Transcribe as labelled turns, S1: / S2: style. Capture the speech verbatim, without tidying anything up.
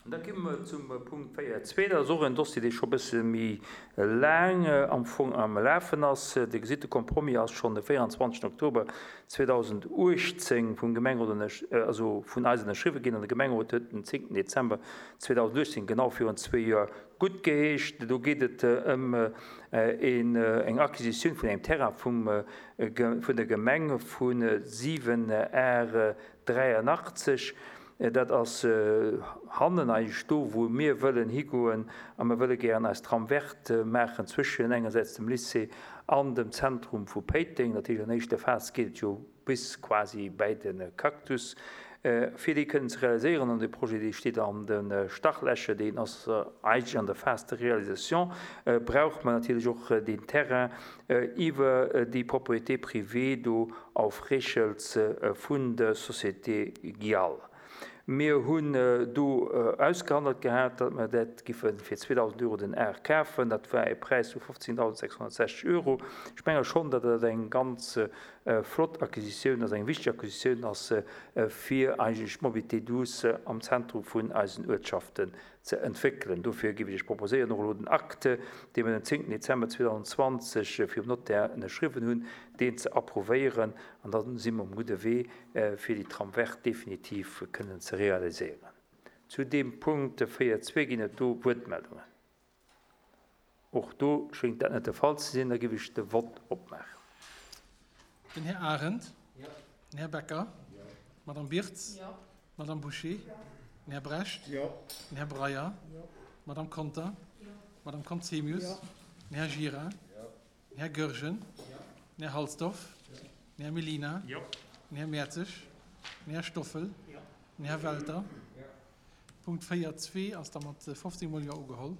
S1: An da komme mer zum Punkt véier zwee. Dat ass och en Dossier, dee scho e bësse méi laang am Fong am Lafen ass. Dir gesitt, de Compromis ass schonn de véierundzwanzegsten Oktober zweedausendachtzéng vum Gemengerot, also vun eis ënnerschriwwen ginn an de Gemengerot huet den zéngten Dezember zweedausendachtzéng, genau virun zwee Joer, guttgeheescht. Do geet et ëm eng Acquisitioun vun engem Terrain vum, vun der Gemeng vu siwen Ar dräianachtzeg. Dat ass hannen eigentlech do, wou mir wëllen higoen a mir wëlle gären eis Trame verte maachen zwëschen engersäits dem Lycée an dem Zentrum vu Péiteng. Natierlech an éischter Phas geet et jo bis quasi bäi de Cactus, fir déi kënnen ze realiséieren. An dee Projet, dee steet an de Startlächer, deen ass eigentlech an der Phase de réalisation, brauche mer natierlech och deen Terrain iwwer déi Propriété privée do auf Rechels vun der Société Gial. Mir hunn do ausgehandelt gehat, datt mer dat giffe fir zweedausend Euro den Ar kafen. Dat war e Präis vu fofzéngdausendsechshonnertsechzeg Euro. Ech menge schonn, datt dat eng ganz flott Acquisitioun ass, eng wichteg Acquisitioun ass, fir eigentlech d'Mobilité douce am Zentrum vun eisen Uertschaften ze entwéckelen. Dofir géif ech Iech proposéieren, och elo den Acte, dee mir den zéngten Dezember zweedausendzwanzeg virum Notaire ënnerschriwwen hunn, deen ze approuvéieren. An da si mer um gudde Wee, fir déi Trame verte definitiv kënnen ze realiséieren. Zu deem Punkt véier zwee ginn et do Wuertmeldungen. Och do schéngt dat net de Fall ze sinn. Da géif ech de Vott opmaachen.
S2: Den Här Arendt. Den Här Becker. D'Madame Birtz. D'Madame Bouché. Den Här Brecht. Den Här Breyer. D'Madame Conter. D'Madame Conzemius. Den Här Gira. Den Här Goergen. Den Här Halsdorf. Den Här Mellina. Den Här Mertzig. Den Här Stoffel. Den Här Welter. Punkt véier zwee ass da mat fofzéng Mol Jo ugeholl.